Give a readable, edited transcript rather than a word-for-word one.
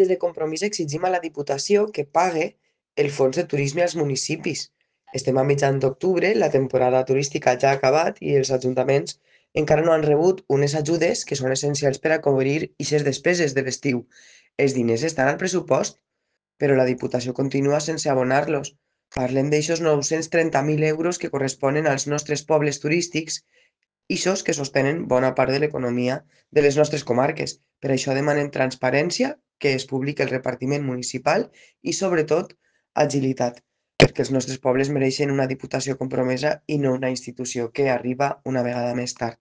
Des de Compromís exigim a la Diputació que pague el fons de turisme als municipis. Estem a mitjan d'octubre, la temporada turística ja ha acabat i els ajuntaments encara no han rebut unes ajudes que són essencials per a cobrir aquestes despeses de l'estiu. Els diners estan al pressupost, però la Diputació continua sense abonar-los. Parlem d'aixos 930.000 euros que corresponen als nostres pobles turístics, ixos que sostenen bona part de l'economia de les nostres comarques. Per això demanem transparència, que es publiqui el repartiment municipal i, sobretot, agilitat, perquè els nostres pobles mereixen una Diputació compromesa i no una institució que arriba una vegada més tard.